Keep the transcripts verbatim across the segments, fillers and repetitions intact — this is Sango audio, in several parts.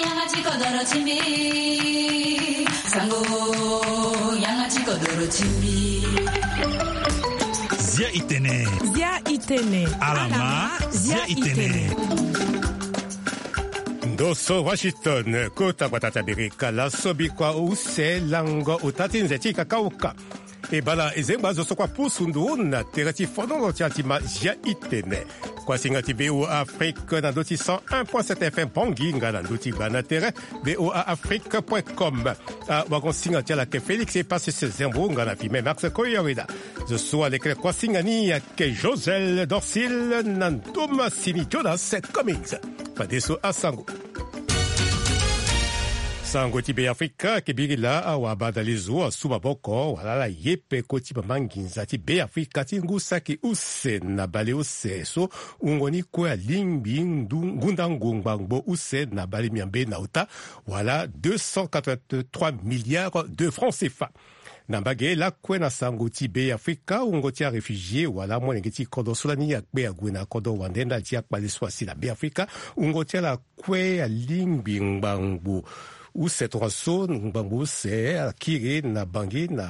Yanga ti kodoro ti mbi. Sango, yanga ti kodoro ti mbi. Zia i tene. Zia i tene. Alama, zia i tene. Ndo so Washington, kota gbata ti Amerika, laso bikua use lango ota ti nze ti kakauka. E bala e zengba zo so kua pusu ndo na tere ti fonono ti atima Zia i tene. Kuasinga ti V O A Afrique na ndö ti cent un point sept F M Bangui nga na ndö ti gba na tere V O A Afrique point com. Awagosinga ti ala ayeke Félix Epasis Zembo nga na filme Max Koyaweda. Zo so alekere kuasinga ni ayeke Josel Dorsil na ndo masini Jonas Cummings. Fadeso asango. Sango ti Beafrika ayeke biri laa awabadale zo asu maboko wala ala ye peko ti mama nginza ti Beafrika ti ngu saki use na bale use so wungo ni kue alingbi ndu ngundango ngbangbo use na bale miambe na ota wala deux cent quatre-vingt-trois milliards de francs C F A. Na mbage lakue na sango ti Beafrika, wungo ti aréfugié wala amolenge ti kodro so lani akpe ague na kodro wande ndali ti akpale so asi na Beafrika, wungo ti ala kue alingbi ngbangbo use tongaso, ngbangbo use akiri na Bangui na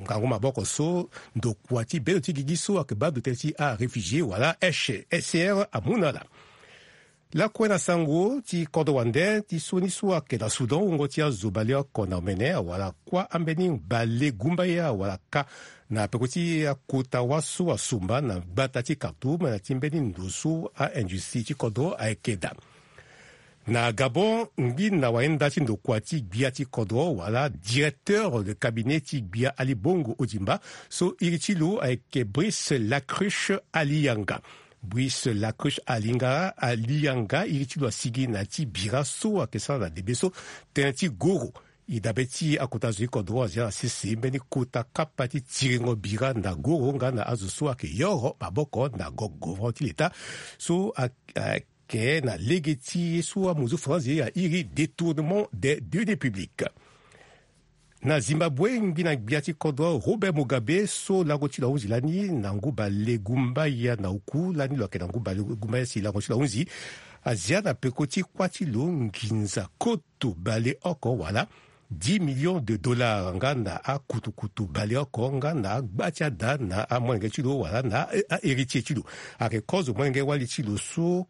ngangu maboko so ndokua ti bendo ti gigi so ayeke baa ndo tënë ti aréfugié wala H C R amu na ala. Lakue na sango ti kodro wande ti so ni so ayeke na Soudan, wungo ti azo baleoko na omene awara kuâ ambeni bale gumbaya awara ka na peko ti akota wâ so asumba na gbata ti Khartoum na ti mbeni ndo so aindustrie ti kodro ayeke daa. Na Gabon, ngbi na wayenda ti ndokua ti gbia ti kodro wala directeur de cabinet ti gbia Ali Bongo Ondimba so iri ti lo ayeke Brice Lacruche Aliyanga. Brice Lacruche Alinga, Aliyanga iri ti lo asigi na ya ti bira so ayeke sara na debe so tënë ti goro. E dabe ti akota zo ti kodro azia na sese mbeni kota kapa ti tiringo bira na goro nga na azo so ayeke yoro maboko na gogo ti leta so a, a, ke na lege ti ye so amuzu franzi airi détournement des deniers publics. Na Zimbabwe, ngbi na gbia ti kodro Robert Mugabe so lango ti lo ahunzi lani na ngu bale gumbaya na oku, lani lo ayeke na ngu bale gumbaya si lango ti lo ahunzi, azia na peko ti kuâ ti lo nginza koto baleoko wala dix millions de dollars nga na akutukutu baleoko nga na agba ti ada na amolenge ti lo wala na a, a héritier ti lo. Ayeke kozo molenge wali ti lo so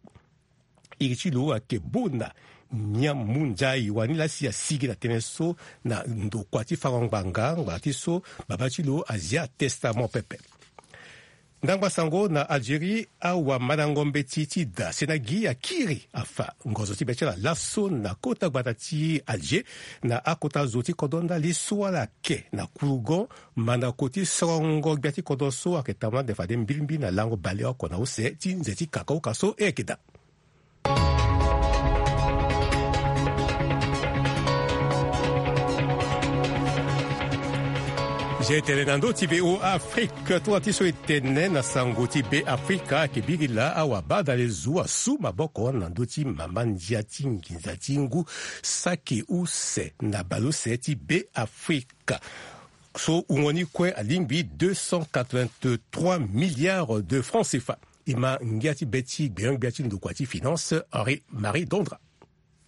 iri ti lo ayeke Bona Nyamunzai wani laa si asigi na tënë so na ndokua ti fango ngbanga ngbanga ti so babâ ti lo azia testament pepe. Ndangba sango na Algérie, awamandango mbeti ti da Senagi akiri afa ngozo ti be ti ala laso na kota gbata ti Alger na akota zo ti kodro ndali so ala yeke na kurugo mandako ti sorongo gbia ti kodro so ayeke tambula ande fade mbilimbili na lango baleoko na use ti nze ti kakaoka so e yeke daa. Zia e tene na ndö ti V O A Afrique, tonga ti so e tene na sango ti Beafrika ayeke biri laa awabadale zo asu maboko na ndö ti mama ndia ti nginza ti ngu saki use na baleuse ti Beafrika so wungo ni kue alingbi deux cent quatre-vingt-trois milliards de francs C F A. E ma ngia ti be ti gbenyo-gbia ti ndokua ti finance Henri Marie Dondra.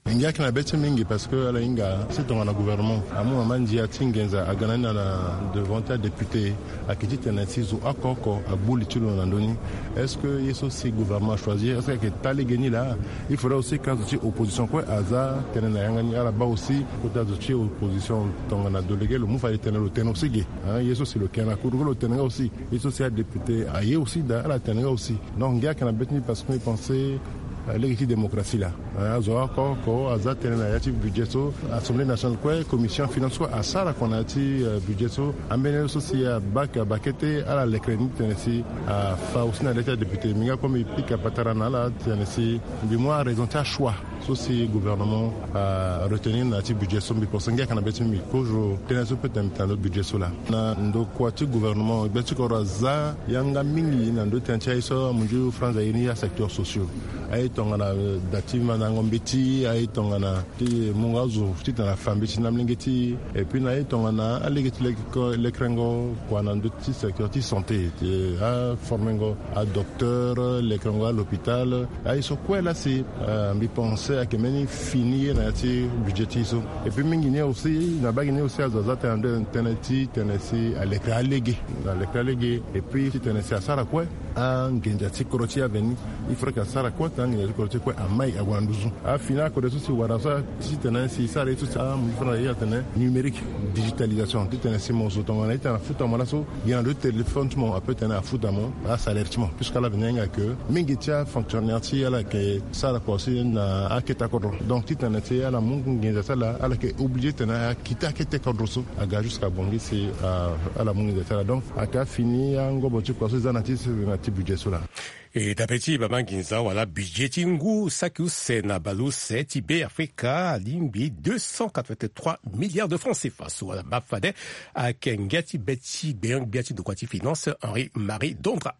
Ngia ayeke na be ti mingi parce que ala hinga si tongana gouvernement amu mama ndia ti nginza aga na ni na, na devant ti adéputé, ayeke titene si zo oko oko agbu li ti lo na ndö ni. Est-ce que ye so si gouvernement achoisir, est-ce que ayeke taa lege ni laa? Il faudrait aussi que azo ti opposition kue aza tënë na yanga ni. Ala baa aussi kota zo ti opposition tongana délégué lo mu fade tene lo tene aussi ge. Hein, ye so si lo yeke na kuru lo tene nga aussi. Ye so si adéputé aye aussi daa ala tene nga aussi. Donc ngia ayeke na be ti ni parce que mbi pense, euh, lege ti démocratie laa, euh, azo oko oko aza tënë na ya ti budget so. Assemblée nationale kue, commission finance kue asara kua na ya ti, euh, budget so. Ambeni ye so si abaa, abaa kete ala lekere ni titene si afa aussi na le ti adéputé. Mbi nga kue mbi pika patara na ala titene si mbi mu araison ti achoix so si gouvernement aretenir na ya ti budget so. Mbi pense ngia ayeke na be ti mbi kozo tënë so peut tene mbi tene na ndö ti budget so laa. Na ndokua ti gouvernement, gbia ti kodro aza yanga mingi na ndö ti tënë ti aye so amunzu France aye ni asecteur sociaux. Aye tongana, euh, da ti mandango mbeti, aye tongana ti mungo azo titene afa mbeti na amolenge ti e. Et puis na aye tongana alege ti leke, lekerengo kua na ndö ti secteur ti santé, ti aformengo adocteur, lekerengo alhôpital. Aye so kue laa si, euh, mbi pense Ayeke mbeni fini ye na ya ti budget ti e so. Et puis mingi ni aussi, na bagi ni aussi azo aza tënë ande tënë ti tene si alekere alege. Alekere alege. Et puis ti tene si asara kue anginza ti kodro ti e aveni. Il faudrait que asara kue tene anginza ti kodro ti e kue amai ague na nduzu. Afini akode so si wara so ti tene si sara ye so si amu fana ye atene numérique, digitalisation ti tene si mo zo tongana ita na futa mo laso. Gi na ndo ti téléphone ti mo ape tene afuta mo asalaire ti mo. Puisque ala veni hinga ke mingi ti afonctionnaire ti ala yeke sara kua si na akete kodro. Donc ti tene si ala mu nginza ti ala, ala yeke obligé tene akita akete kodro so aga jusqu'à bongi si ala mu nginza ti ala. Donc ayeke afini angobo ti kua so eza na ti na ti budget so laa. E dape ti bama nginza wala budget ti ngu saki use na baleuse ti Be Afrika alingbi deux cent quatre-vingt-trois milliards de francs C F A. So wala baa fade ayeke ngia ti be ti gbenyo-gbia ti ndokua ti finance Henri Marie Dondra.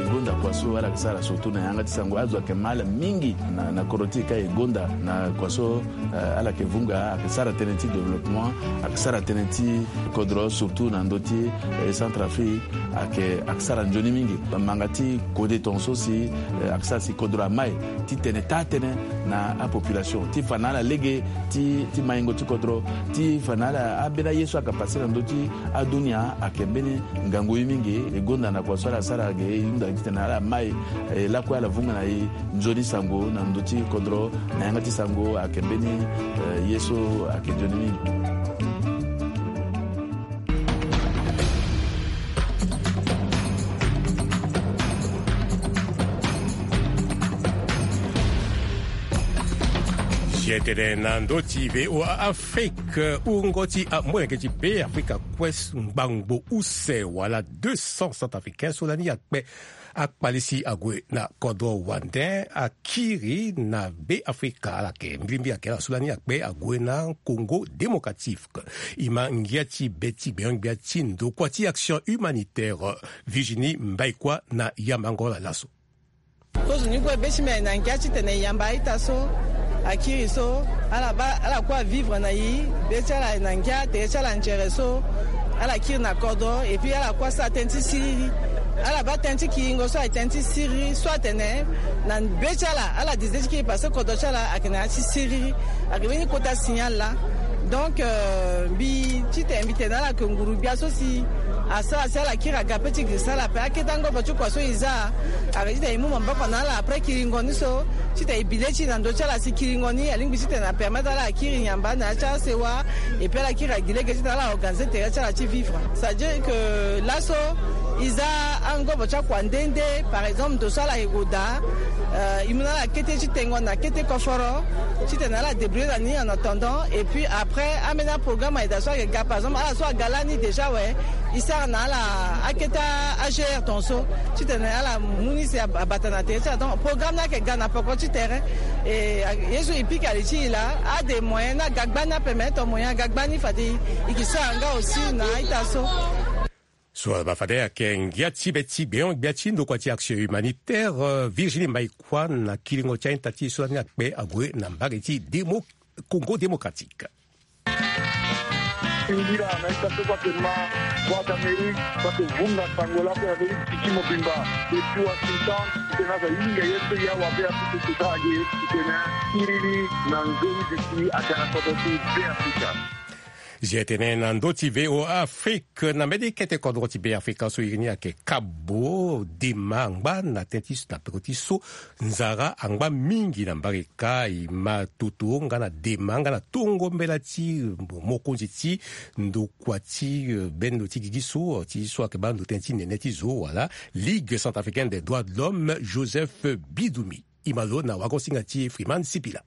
E gonda kua so ala yeke sara surtout na yanga ti sango, azo ayeke ma ala mingi na, na kodro ti e ka e gonda na kua so, eh, ala yeke vunga, ayeke sara tënë ti développement, ayeke sara tënë ti kodro surtout na ndö ti, eh, Centrafrique, ayeke, ayeke sara nzoni mingi. Manga ti kode tongaso si, eh, ayeke sara si kodro amai ti tene taa tënë na apopulation ti fa na ala lege ti, ti maingo ti kodro, ti fa na ala ambeni aye so ayeke pase na ndö ti adunia ayeke mbeni ngangu ye mingi. E gonda na kua so ala sara ge e hunda gi titene ala mai, e lakue ala vunga na e nzoni sango na ndö ti kodro na yanga ti sango ayeke mbeni, eh, ye so ayeke nzoni mingi. Zi tene na ndö ti V O A Afrique, wungo ti amolenge ti Be Afrika kue ngbangbo use wala deux cents centrafricains so lani akpe akpali si ague na kodro wande akiri na Be Afrika. Ala yeke mbirimbi ayeke ala so lani akpe ague na Congo Démocratique. E ma ngia ti be ti gbenyo-gbia ti ndokua ti action humanitaire Virginie Mbaikua na yambango ala laso. Kozo ni kue be ti mbi ayeke na ngia titene e yamba a-ita so akiri so, ala baa, ala kue avivre na e, be ti ala ayeke na ngia, tere ti ala anzere so, ala kiri na kodro, et puis ala kue asara tënë ti siriri. Ala baa tënë ti kiringo so ayeke tënë ti siriri so atene na be ti ala, ala décidé ti kiri parce que kodro ti ala ayeke na ya ti siriri. Ayeke mbeni kota signal laa. Donc, euh, mbi titene mbi tene na ala ke nguru-gbia so si asara si ala kiri aga ape ti girisa ala ape. Akete angobo ti kua so e za, ayeke titene e mu maboko na ala après kiringo ni so, titene e bi le ti e na ndö ti ala si kiringo ni alingbi titene apermettre ala akiri yamba na ya ti asewa, et puis ala kiri agi lege titene ala organiser tere ti ala ti vivre. C'est-à-dire que laso e za angobo ti akua nde nde, par exemple ndo so ala yeke gue daa, euh, e mu na ala kete ti tengo na kete koforo titene ala débrouiller na ni en attendant. Et puis après ambeni aprogramme ayeke daa so ayeke ga, par exemple ala so aga lani déjà awe, e sara na ala akete a-G R tongaso titene ala mu ni si abata na tere ti ala. Donc programme ni ayeke ga na poko ti tere. E ye so e pika li ti e laa, a des moyens ni aga gbani, apermettre moyen aga gbani fade e yeke sara nga aussi na a-ita so. So ala baa fade ayeke ngia ti be ti gbenyo-gbia ti ndokua ti action humanitaire, euh, Virginie Mbaikua na kiringo ti a-ita ti e so lani akpe ague na mbage ti Demo-, Congo Démocratique. Singila na ita so so ayeke ma Voix d'Amérique so ayeke vunga sango lakue na ndö ti gi ti mobimba depuis Washington. Titene azo ahinga ye so e awa be apusu sesa age titene siriri na nzoni duti aga na kodro ti Be Afrika. Zi tene na ndö ti V O A Afrique, na mbeni kete kodro ti Be Afrika so iri ni ayeke Kabo, dema angba na tënë ti so na peko ti so nzara angba mingi na mbage ka. E ma toto nga na dema nga na tongo mbela ti mokonzi ti ndokua ti, eh, bendo ti gigi so, ti so ayeke baa ndo tënë ti nene ti zo wala Ligue centrafricaine des droits de l'homme, Joseph Bidoumi. E ma lo na wagosinga ti Freeman Sipila.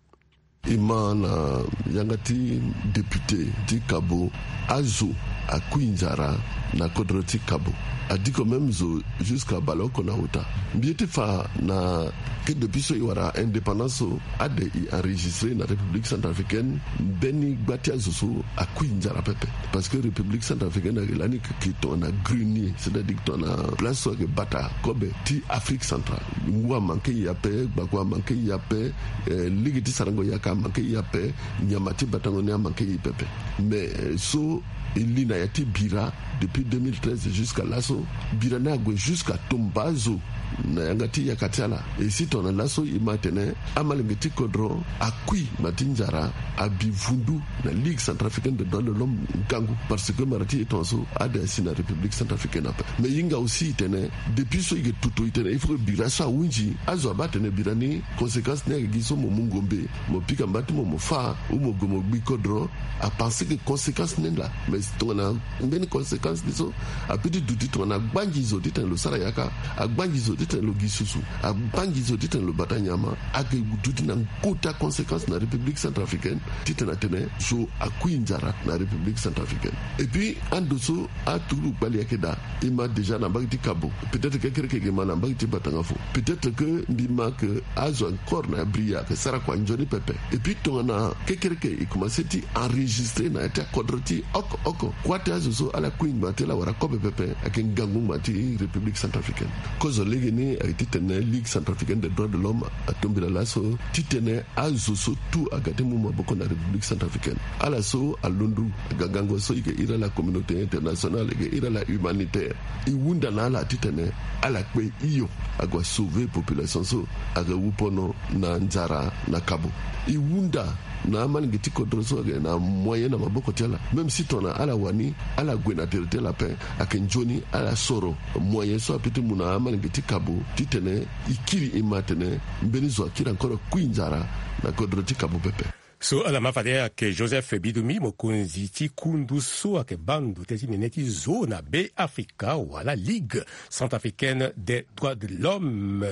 E ma na yanga ti député ti Kabo, azo akui nzara na kodro ti Kabo. Adiko même zo jusqu'à baleoko na ota. Mbi ye ti fa na ke depuis so e wara indépendance so, ade e enregistré na République centrafricaine mbeni gba ti azo so akui nzara pepe. Parce que République centrafricaine ayeke lani yeke tongana grenier, c'est-à-dire tongana place so ayeke bata kobe ti Afrique centrale. Ngu amanke e ape, gbako amanke e ape, eh, lege ti sarango yaka amanke e ape, nyama ti batango ni amanke e pepe. Mais, eh, so E li na ya ti bira depuis deux mille treize jusqu'à laso. Bira ni ague jusqu'à tomba azo na yanga ti yaka ti ala. E si tongana laso e ma atene amalenge ti kodro akui ma ti nzara abi vundu na Ligue centrafricaine des droits de l'homme ngangu, parce que mara ti e tongaso ade asi na République centrafricaine ape. Mais e hinga aussi e tene depuis so e yeke tutu e tene il faut que bira so ahunzi. Azo abaa atene bira ni conséquence ni ayeke gi so mo mu ngombe, mo pika mba ti mo mo fâ, ou mo gue mo gbi kodro. Apense que conséquence ni laa, mais tongana mbeni conséquence ni so, ape ti duti tongana agbangi zo titene lo sara yaka, agbangi zo titene lo gi susu, agbangi zo titene lo bata nyama. Ayeke duti na kota conséquence na République centrafricaine titene atene zo akui nzara na République centrafricaine. Et puis ando so aturu kpali ayeke daa. E ma déjà na mbage ti Kabo, peut-être kekereke e ke ma na mbage ti Batangafu. Peut-être que mbi ma que azo encore na abri ayeke sara kua nzoni pepe. Et puis tongana kekereke e commencé ti enregistrer na ya ti akodro ti oko oko, kua ti azo so ala kui ngba ti ala wara kobe pepe ayeke ngangu ngba ti République centrafricaine. Kozo legeni ayeke titene Ligue centrafricaine des droits de l'homme atombela laso titene azo so tout aga ti mu maboko na République centrafricaine. Ala so alondo aga gango so e ke iri ala communauté internationale, e ke iri ala humanitaire. E hunda na ala titene ala kpe hio ague asauver population so ayeke wu pono na nzara na Kabo. E hunda na amalenge ti kodro so ayeke na moyen na maboko ti ala, même si tongana ala wani ala gue na tere ti ala ape, ayeke nzoni ala soro moyen so ape ti mu na amalenge ti Kabo titene e kiri e ma atene mbeni zo akiri encore akui nzara na kodro ti Kabo pepe. So ala ma fade ayeke Joseph Bidumi, mokonzi ti kundu so ayeke baa ndo tënë ti nene ti zo na Beafrika wala Ligue centrafricaine des droits de l'homme.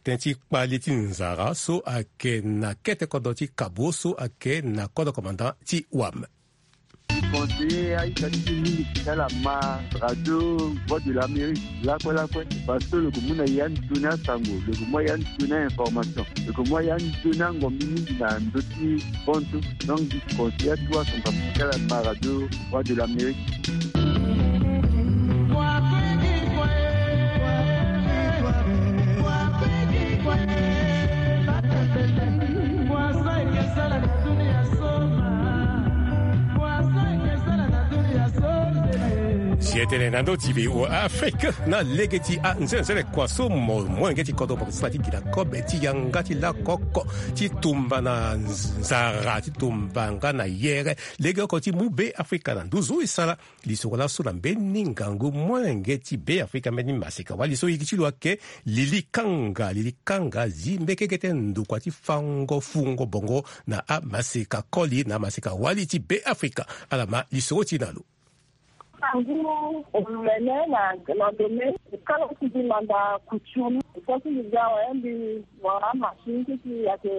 Tënë ti kpale ti nzara so ayeke na kete kodro ti Kabo so ayeke na kodro commandant ti wam. Conseiller aita ti ti mingi ti ala ma radio Voix de l'Amérique lakue lakue, parce que lo yeke mu na ya nzoni asango, lo yeke mu ya nzoni a-information, lo yeke mu ya nzoni angombi mingi na ndö ti bantu. Donc mbi conseiller atuwa centrafricain ti ala ma radio Voix de l'Amérique. Si e tene na ndö ti V O A Afrique na lege ti anzenze le kua so mo molenge ti kodro mo yeke sara ti gi na kobe ti yanga ti lakoko ti tumba na nzara ti tumba nga na yere. Lege oko ti mu Beafrika na nduzu e sara lisoro laso na mbeni ngangu molenge ti Beafrika mbeni maseka wali so iri ti lo ayeke Lili Kanga. Lili Kanga zi mbekeke ti ndokua ti fango fungo bongo na amaseka koli na amaseka wali ti Beafrika. Ala ma lisoro ti e na lo. Ngu omene na, na dome, kala ti mbi manda couture ni, so ti mbi ga awe mbi wara machine ti mbi ayeke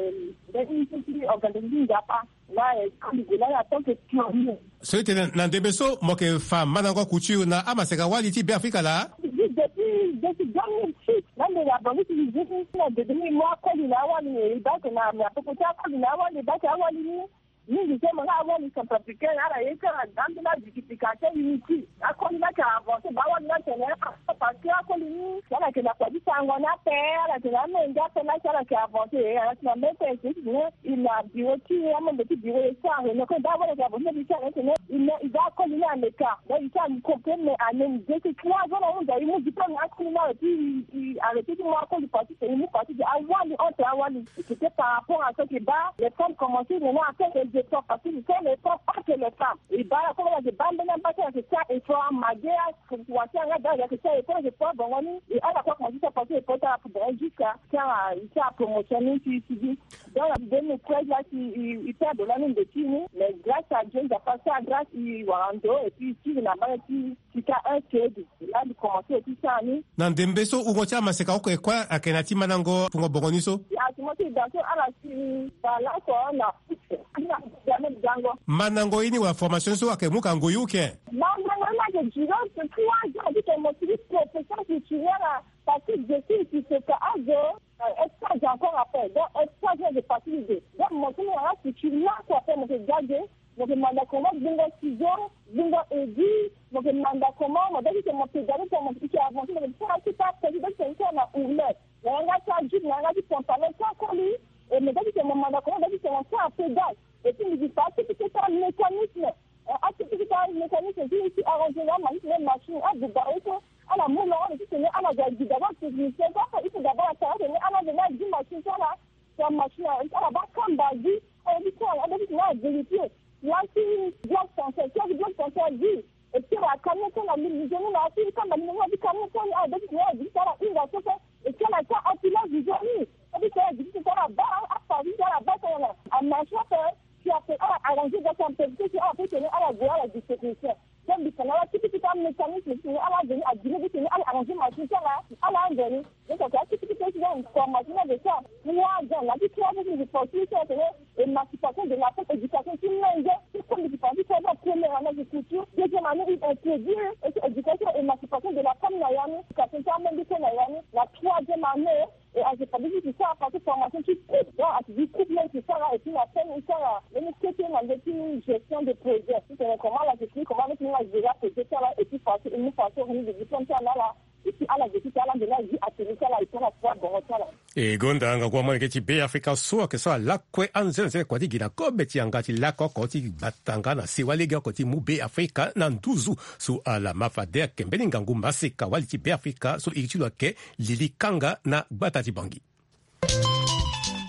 mbeni ti, ti organisme ti Nzapa. Na e, so mbi gue na ni en tant que pionnier. So e tene na ndembe so mo yeke fa mandango couture na amaseka wali ti Beafrika laa? Depuis, depuis deux mille six, na mbi na bango ti usine, na dede ni mo akoli na awali ni, e baa ayeke na, na popo ti akoli na awali, e baa ayeke awali ni. Mingi so mo na awali centrafricain, ala ye ti ala ga ambeni abikipika ti unité. Akoli ni ayeke avancé, baa awali ni atene, parce que akoli ni, ala yeke na kua ti sango ni ape, ala yeke na amenge ape, na si ala yeke avancé, ala yeke na mbeni tene, e na bureau ti e, amembre ti bureau e sara réunion, kue baa awali ayeke avancé, e sara réunion tene, e na, e ga akoli ni aleka, donc e sara complet, mais en même deux, trois ans na ahunda e mu diplôme na akoli ni awe, puis e arrêté ti mu akoli parti, e mu parti de awali, entre awali. C'était par rapport à ce que baa les femmes commencent maintenant à faire des efforts, parce que ce sont les femmes, pas que les femmes. E baa ala kue ala yeke baa mbeni amba ti ala yeke sara effort, amage, awasi yanga daa ala yeke sara effort, effort bongo ni. E ala kue akomanse ti sara parti effort ti ala bongo jusqu'à ti ala, ti ala promotion ni ti, ti gi. Donc na deux mille treize la ti e, e perdre lani ndo ti e ni. Mais grâce à Dieu, Nzapa asara grâce, e wara ndo, et puis e kiri na mbage ti Sika un code, là, il commençait aussi ça, ni. Na ndembe so wungo ti amaseka oko e kue ayeke na ya ti mandango fungo bongo ni so. Si a ti mo ti da so ala si baa laso na futu. Ni na futu ame gango. Mandango ye ni wala formation so ayeke mu ka ngoi uke? Mandango ye ni ayeke duré trois ans ti tene mo sigi profession culturelle, parce que je suis, ti seka azo. Euh, stage encore après. Donc, stage là, j'ai passé l'idée. Donc, mo ti mo na la future là, quoi, après, mo ke gage, mo ke manda comment gbingo ciseau, gbingo aiguille, mo ke manda comment, mo doki ke mo pédale, pour mo ke avancer, mo ke sara ti pa, mo doki ke na ourlet. Na yanga ti ajupe, na yanga ti pantalon, ti akoli, et mo doki ke mo manda comment, mo doki ke mo sara pédale. Et puis, mo ke sara ti, ti, ti mécanisme. Eh, Akiti ti tara mécanisme ti ti arranger na ama ti tene machine abuba ye so. Ala mu longo ti tene ala ga gi d'abord technicien so afa il faut d'abord atara tene ala veni agi machine ti ala. Sa machine ala baa kamba agi. Ala ti tene ala vérifier. Laa ti bloc santé ti ala ti bloc santé agi. Et puis ala kamba ni so na li nzoni na ala ti kamba ni na ala ti kamba ni so ni ala beti tene ala gi ti tara hinga so so. Et puis ala ti tara empilage nzoni. Ala beti tene ala gi ti tara baa afa ti tara baa tara na amachine afa. Puis après ala arranger donc en péripétie ala peut tene ala gue ala gi technicien. Donc mbi tene ala ti kiti ti amécanisme ti tene ala veni agi ni ti tene ala arranger machine ti ala ala anzoni. Donc ake akiti kiti ti donc formation na de ça. Trois ans na ti trois ans ti mbi force ti tene émancipation de la femme, éducation ti menge. Ti comme mbi ti parle ti trois ans, première année agriculture, deuxième année il introduire éducation émancipation de la femme na ya ni, éducation ti amenge so na ya ni. Na troisième année et en fait ti sara partie formation ti couple, donc ati di couple même ti sara et puis na fin ti sara même kete na nde ti gestion de projet ti tene comment ala ti comment ala ti gérer projet ti ala et puis façon et puis façon ni de diplôme ti ala na ala. Et puis ala de ti ala de la vie atelier ti ala et puis ala sara bongo ti ala. E gonda ngangu amolenge ti Beafrika so ayeke sara lakue anzenze kua ti gi na kobe ti yanga ti lako oko ti gbata nga na sewa legeoko ti mu Beafrika na nduzu. So ala ma fade ayeke mbeni ngangu maseka wali ti Beafrika so iri ti lo ayeke lili kanga na gbata ti Bangi.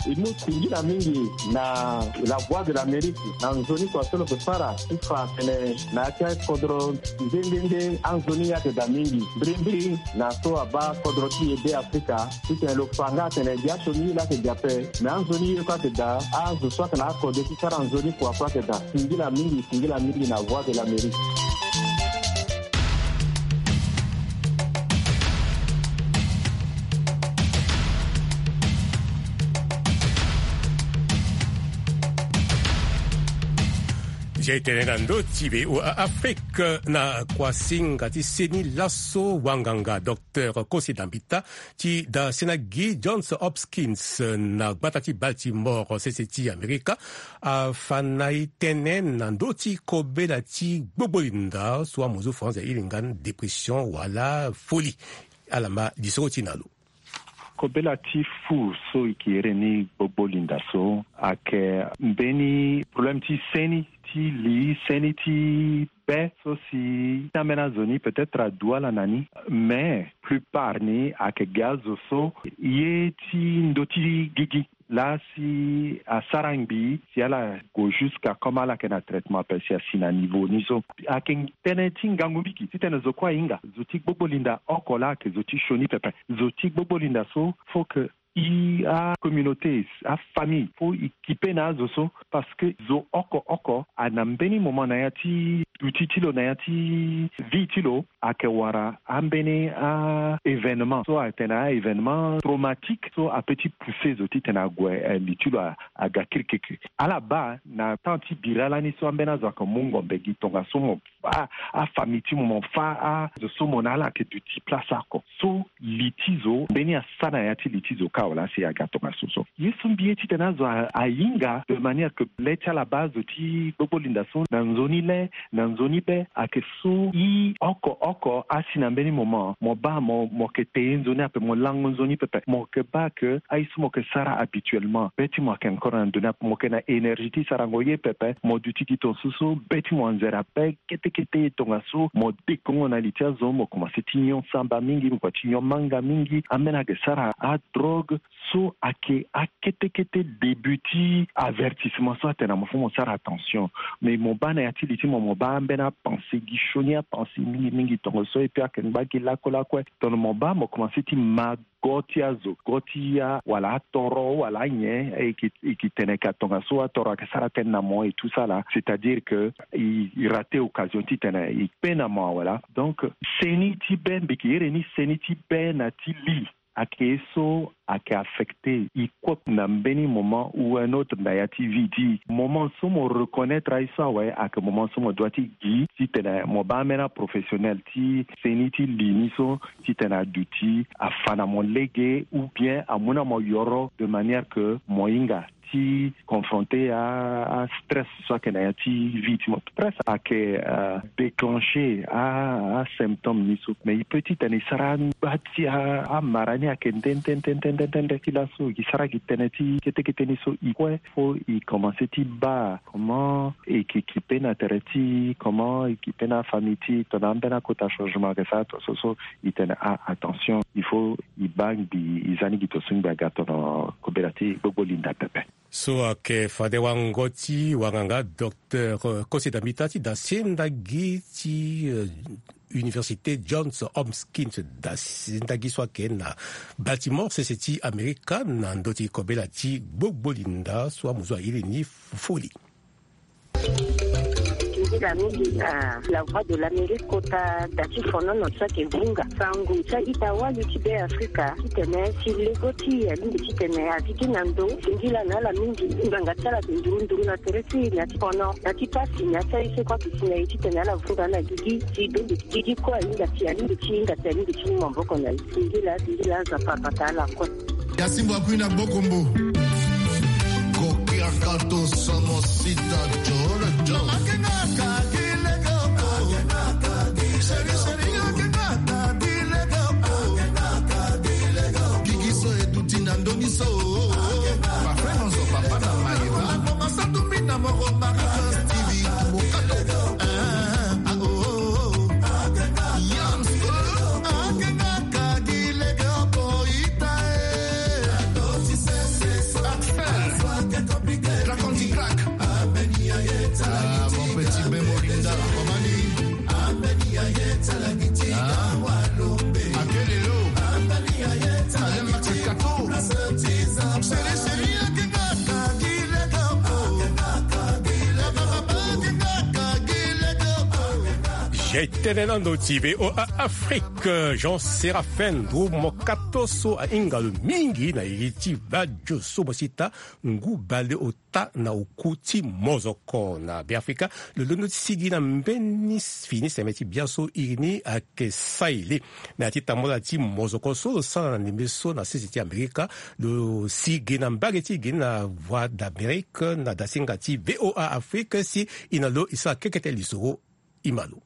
E mu singila mingi na La Voix de l'Amérique na nzoni kua so lo yeke sara ti fa atene na ya ti akodro nde nde nde anzoni ayeke daa mingi mbirimbiri na so abaa kodro ti e Beafrika. Titene lo fa nga atene gi asioni ye laa ayeke gi ape. Me anzoni ye kue ayeke daa. Azo so ayeke na akode ti sara nzoni kua kue ayeke daa. Singila mingi, singila mingi na Voix de l'Amérique. Zia e tene na ndö ti V O A Afrique na kuasinga ti seni laso wanganga docteur Kosi Dambita ti da sena gi Johns Hopkins na gbata ti Baltimore sese ti Amerika afa na e tënë na ndö ti kobela ti gbogbolinda so amozo France ahiringa ni dépression wala folie. Ala ma lisoro ti na lo. Kobela ti fu so e ke iri ni gbogbolinda so ayeke mbeni problème ti seni ti li seni ti be so si ambeni azo ni peut-être adu ala na ni. Mais plupart ni ayeke gi azo so ye ti ndö ti gigi laa si asara ngbii si ala gue jusqu'à comme ala yeke na traitement ape si asi na niveau ni so. Ayeke tënë ti ngangu mingi titene zo kue ahinga zo ti gbogbolinda oko laa ayeke zo ti sioni pepe. Zo ti gbogbolinda so faut que i acommunauté afamille faut i kipe na azo so. Parce que zo oko oko ana mbeni moment na ya ti duti ti lo na ya ti vie ti lo ayeke wara ambeni a événement so atene a événement traumatique so apeut ti pousser zo titene ague li ti lo aga kirikiri. Ala baa na temps ti bira lani so ambeni azo ayeke mu ngombe gi tongaso mo fa afamille ti mo, mo fa azo so mo na ala ayeke duti place oko. So li ti zo mbeni asa na ya ti li ti zo kâ wala asi aga tongaso so. Ye so mbi ye titene azo ahinga de manière que le ti ala baa azo ti gbogbolinda so na nzoni le na nzoni be ayeke so i oko oko asi na mbeni moment mo baa mo mo yeke te ye nzoni ape mo lango nzoni pepe mo yeke baa ke aye so mo yeke sara habituellement be ti mo ayeke encore na ndoni ape mo yeke na énergie ti sarango ye pepe mo duti gi tongaso so be ti mo anzere ape. Kete kete ye tongaso mo dekongo na li ti azo mo komanse ti nyon samba mingi mo kua ti nyon manga mingi ambeni ayeke sara adrogue. So ayeke akete kete début ti avertissement so atene na mo fo mo sara attention. Mais mo baa na ya ti li ti mo mo baa ambeni apense gi sioni apense mingi mingi tongaso et puis ayeke ngba gi lakue lakue. Tongana mo baa mo komanse ti ma go ti azo go ti ya wala atoro wala anyen e ke e ke tene ka tongaso atoro ayeke sara tënë na mo et tout ça là c'est à dire que e e rate occasion titene e kpe na mo wala. Donc seni ti be mbi ke iri ni seni ti be na ti li ayeke ye so ayeke affecte e kue na mbeni moment ou un autre na ya ti vie ti e. Moment so mo reconnaître aye so awe ayeke moment so mo doit ti gi titene mo baa ambeni aprofessionnel ti seni ti li ni so titene aduti afa na mo lege ou bien amu na mo yoro de manière que mo hinga ti confronter astress so ayeke na ya ti vie ti mo. Stress ayeke déclencher asymptôme ni so, mais e peut ti tene e sara angba ti amara ni ayeke nde nde nde nde nde ti laso e sara gi tënë ti kete kete ni so e kue. Faut e commencer ti baa comment e yeke kipe na tere ti comment e kipe na afamille ti e tongana ambeni akota changement ayeke sara to so so e tene ah attention, il faut e baa ngbi e za ni gi to so ngbi aga tongana kobela ti gbogbo linda pepe. So ayeke fade wango ti wanganga docteur koseda mita ti dasi ndagi ti université Johns Hopkins dasi ndagi so ayeke na Baltimore sese ti Amerika na ndö ti kobela ti gbogbo linda so amuzu airi ni foli. Nzila mingi na la voix de l'Amérique kota da ti fonono so ayeke vunga sango ti a-ita wali ti Be Afrika titene si lego ti e alingbi titene a gigi na ndo singila na ala mingi. Ngbanga ti ala ayeke nduru nduru na tere ti e na ya ti fono na ti pasi na ya ti aye so kue ayeke si na e titene ala vunga na gigi si donde gigi kue ahinga si alingbi ti hinga si alingbi ti mu maboko na e. Singila singila Nzapa abata ala kue. Ya simbo akui na gbokombo. Kokiakato somo sita jolo jolo. Seri seri yo kengaka bilego. Gigi so e duti na ndoni so. Papa Manzo, papa na Mayeba. Papa Masatumbi na Moro Marie Stevie Mokato. Ah, ah, oh, oh. Yams. Akengaka bilego boita e. Axel. Crack on the crack. Ah, mon petit Ben Molinda, Romani. Ah. Akelelo. Alain Max Kato. Seri, seri, akengaka bilego. Akengaka bilego. Akengaka bilego. J'étais dans notre V O A Afrique, Jean Séraphin Ndru Mokato so ahinga lo mingi na iri ti badio so mo sita ngu bale ota na oku ti mozoko na Beafrika. Lo londo ti sigi na mbeni fini seme ti bia so iri ni ayeke saele na ya ti tambula ti mozoko so lo sara na ndembe so na sese ti Amerika. Lo sigi na mbage ti e gi na Voix d'Amérique na dasinga ti V O A Afrique si e na lo e sara kekete lisoro. Imalo.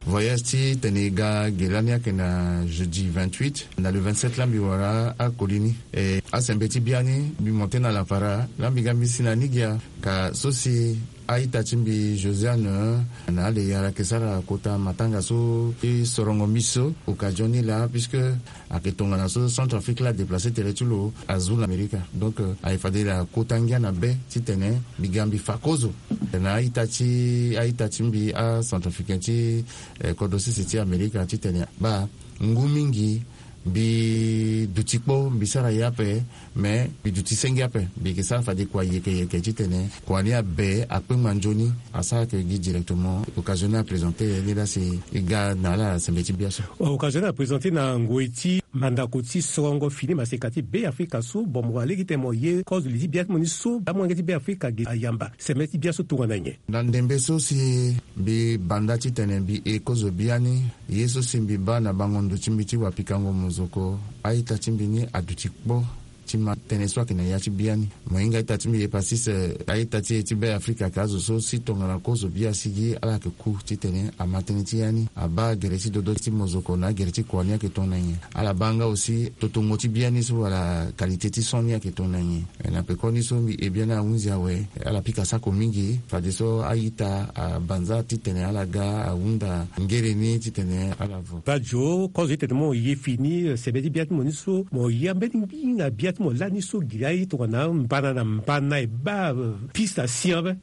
Voyage ti tene e ga ge lani ayeke na jeudi vingt-huit, na le vingt-sept la mbi wara akoli ni. E, asembe ti biani mbi monte na lapara la mbi ga mbi si na ni gia. Ka so si a-ita ti mbi Josiane na ale yara ayeke sara kota matanga so ti sorongo mbi so occasion ni laa, puisque ayeke tongana so Centrafrique la déplacer tere ti lo azu na Amerika. Donc, euh, ayeke fade la kota ngia na be titene mbi ga mbi fa kozo na a-ita ti, a-ita ti mbi acentrafricain ti, eh, kodro sese ti Amerika titene baa ngu mingi mbi duti kpo, mbi sara ye ape, mais mbi duti senge ape. Mbi yeke sara fade kua yeke yeke titene kua ni abe akpengba nzoni. Asara ke gi directement occasion ni aprésenté ni laa si e ga na ala sembe ti bia so. Occasion ni aprésenté na ngoi ti mandako ti sorongo fini maseka ti Beafrika so. Bon, mo wara lege tene mo ye kozo li ti bia ti mo ni so amolenge ti Beafrika ge ayamba sembe ti bia so tongana nyen? Na ndembe so si mbi banda titene mbi e kozo biani, ye so si mbi baa na bango ndo ti mbi ti wapikango mozoko, a-ita ti mbi ni aduti kpo. Ti ma tënë so ayeke na ya ti biani. Mo hinga a-ita ti mbi Hepastis, eh, a-ita ti e ti Beafrika ayeke azo so si tongana kozo bia asigi ala yeke ku titene ama tënë ti ya ni, abaa gere ti dodo ti mozoko na agere ti kua ni ayeke tongana nyen. Ala baa nga aussi totongo ti biani so wala qualité ti son ni ayeke tongana nyen. Eh, na peko ni so mbi e biani ahunzi awe. Ala pika sako mingi fadeso a-ita abanza titene ala ga ahunda ngere ni titene ala vo. Badio, kozo ti tene mo ye fini, eh, sebe ti bia ti mo ni so, mo ye ambeni ngbi na bia ti mo lani so gi aye tongana mbana na mbana e baa, eh, piste asi ape.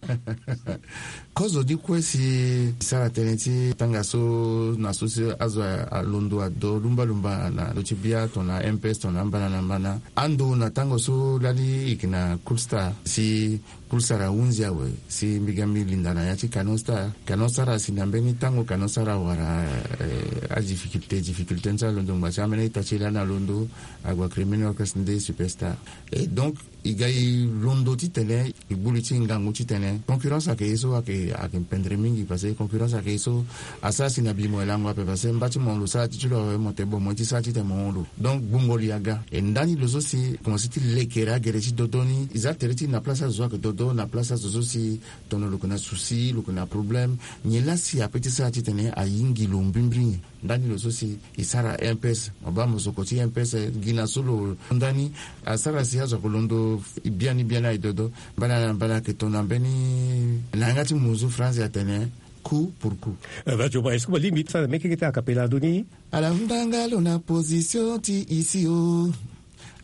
Kozo ni kue si e sara tënë ti tanga so na so si azo alondo ado lumba lumba na ndö ti bia tongana M P S tongana mbana na mbana. Ando na tango so lani e yeke na Cool Star si Cool Star ahunzi awe si mbi ga mbi linda na ya ti Canon Star. Canon Star asi na mbeni tango Canon Star awara, eh, adifficulté, difficulté ni so alondo ngba si ambeni a-ita ti e lani alondo, ague akiri mbeni orchestre nde Superstar. Et donc, E ga e londo titene e gbu li ti ngangu titene concurrence ayeke ye so ayeke ayeke pendere mingi parce que concurrence ayeke ye so asara si na bi mo e lango ape parce que mba ti mo lo sara ti ti lo awe mo te bon mo ye ti sara titene mo hon lo. Donc gbungo li aga e ndani lo so si e komanse ti lekere agere ti dodo ni e za tere ti na place azo so ayeke dodo na place azo so si tono lo yeke na souci lo yeke na problème. Nyen laa si ape ti sara titene ayingi lo mbrimbri nyen? Ndani lo so si e sara mps mo baa mosoko ti mps gi na so lo ndani asara si azo ake londo biani biani aye dodo. Mbala na mbala ayeke tona mbeni na yanga ti muzu france atene coup pour coup. Vajo ma est-ce que mo lingbi ti sara mekeke ti akapela ndo ni? Ala hunda nga lo na position ti isi o.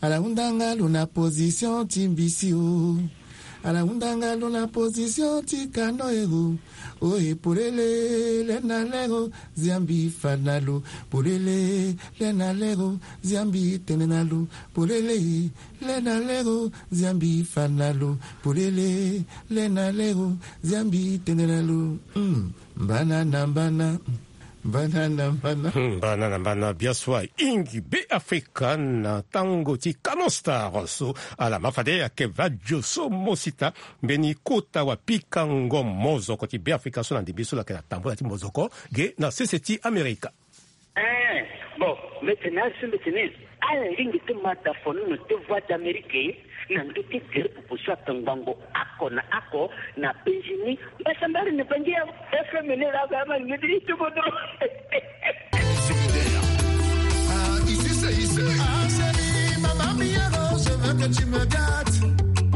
Ala hunda nga lo na position ti mbisi o. Ala hunda nga lo na position ti kano ero. Oye polele le na lero ziambi fa na lo. Polele le na lero ziambi tene na lo. Polele le na lero ziambi fa na lo. Polele le na lero ziambi tene na lo. Mm. Mbana na mbana. Mbana na mbana. Hmm, mbana na mbana biaso ahingi be afrika na tango ti canon star so ala ma fade ayeke vajo so mosita mbeni kota wa pikango mozoko ti be afrika so na ndembe so lo yeke na tambula ti mozoko ge na sese ti amerika. Eh, bon, mete na asi mete ni. Ala lingbi ti mata fono na te voix d'amérique. Na ndö ti tere popo so atongbango ako na ako na benjini mbasambari na bangi ya fmn la ba ma ni midi ti bodo. Ah, ici c'est ici. Ah chérie, maman Miero, je veux que tu me gâtes.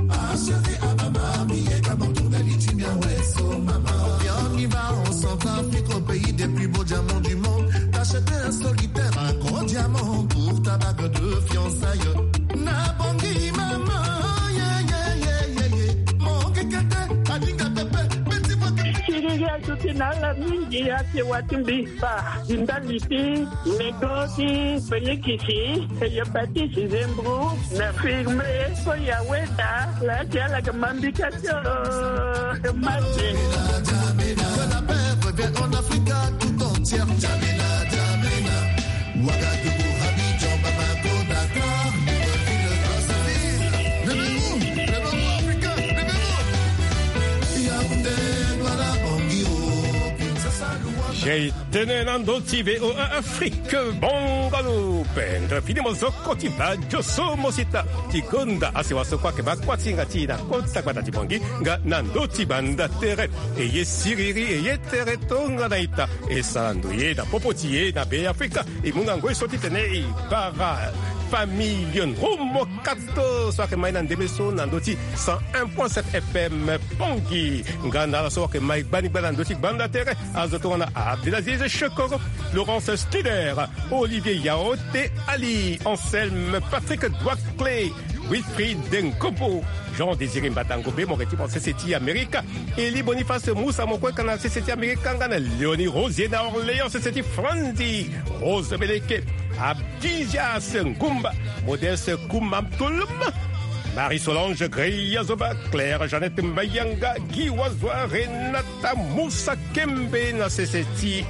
Ah chérie, ah maman Miero, mon tour de l'itimia, ouais, so maman. Viens, on y va en Centrafrique, au pays des plus beaux diamants du monde. T'achètes un solitaire, un gros diamant pour ta bague de fiançailles. Na bongi mama, ye, ye, ye, ye, ye. Mongi kete, alinga pepe, beti boke. Siriri azuti na ala mingi ake wati mbi. Ba, di ndali ti nego ti Felikisi, eye Patisi Zembru, na firme, so ya weda, la ti ala ke mambika tio, ke mate. Que la paix revienne en Afrique tout entière. Djamena, Djamena. Ouagadougou, Abidjan, Bamako, Dakar, Libreville, Brazzaville. Réveillez-vous, réveillez-vous, Africains, réveillez-vous. Yaoundé, Douala, Bangui, oh, Kinshasa, Luanda. J'ai tene na ndö ti V O A Afrique, bongo lo pendere fini mozoko ti badio so mo sita ti gonda asewa so kue ayeke baa kuâ ti hinga ti e na kota gbata ti Bangui nga na ndö ti banda tere. E ye siriri, e ye tere tongana ita. E sara ndoye na popo ti e na Be Afrika. E mu na ngoi so titene e bara famille Ndrumo Kato so ayeke mai na ndembe so na ndö ti cent un point sept F M Bangui. Nga na ala so ayeke mai gbani gbani na ndö ti gbanda tere. Azo tongana Abdelaziz Chekoro, Laurence Stider, Olivier Yaote, Ali Anselme, Patrick Douaclé, Wilfried Nkobo, Jean Désiré Mbatango Be, mo yeke ti mo sese ti Amerika, Eli Boniface Moussa, mo kue ka na sese ti Amerika, nga na Léonie Rosier na Orléans, sese ti Franzi, Rose Beleke, Abdizias Ngumba, Modeste Kouma Toloma, Marie Solange Greya Zoba, Claire Jeannette Mbayanga, Guy Wazoa, Renata Moussa Kembe na sese ti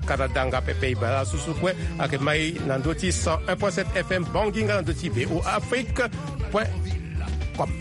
Canada nga pepe. E baa susu kue ayeke mai na ndö ti cent un point sept F M Bangui nga na ndö ti V O A Afrique point com.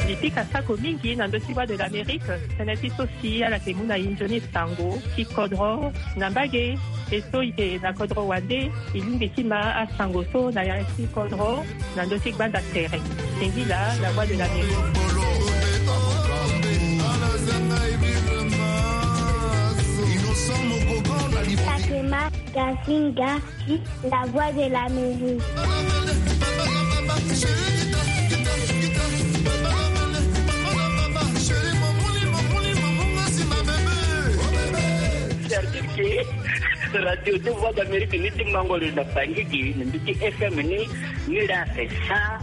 Li pika sako mingi na ndö ti Voix de l'Amérique, tënë ti so si ala yeke mu na e nzoni sango ti kodro na mbage. E so e yeke na kodro wande, e lingbi ti ma asango so na ya ti kodro na ndö ti gbanda tere. Singila, La Voix de l'Amérique. Takema Gasinga, La Voix de l'Amérique. Certifié. Radio de Voix d'Amérique ni ti mango lo na Bangui gi na mbi ti F M ni, ni la fait cent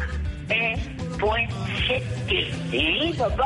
un point sept. Eh, papa.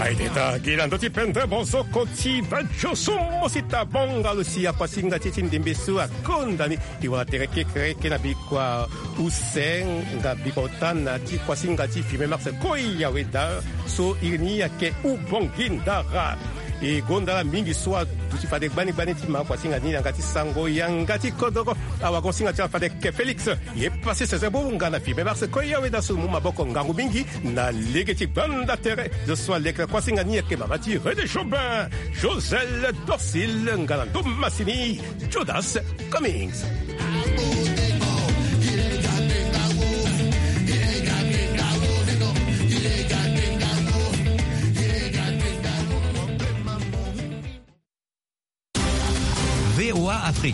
Ede ta gi na ndö ti pendere bozoko ti badio so mo si tabonga lo si akuasinga ti e ti ndembe so akonda ni. E wara tere kekereke na bikua use nga bikua ota na ti kuasinga ti premier mars koya weda so iri ni ayeke ubongi ndara. E gonda ala mingi so aduti fade gbani gbani ti ma akuasinga ni yanga ti sango yanga ti kodoro. Awagosinga ti ala fade ke Félix. E pase sese bonga na fimbe mars koya weda so mu maboko ngangu mingi na lege ti gbanda tere zo so aleke na kuasinga ni ayeke mama ti René Jobin, Josel Dorsil nga na ndo masini Judas Cummings. V O A Afrique.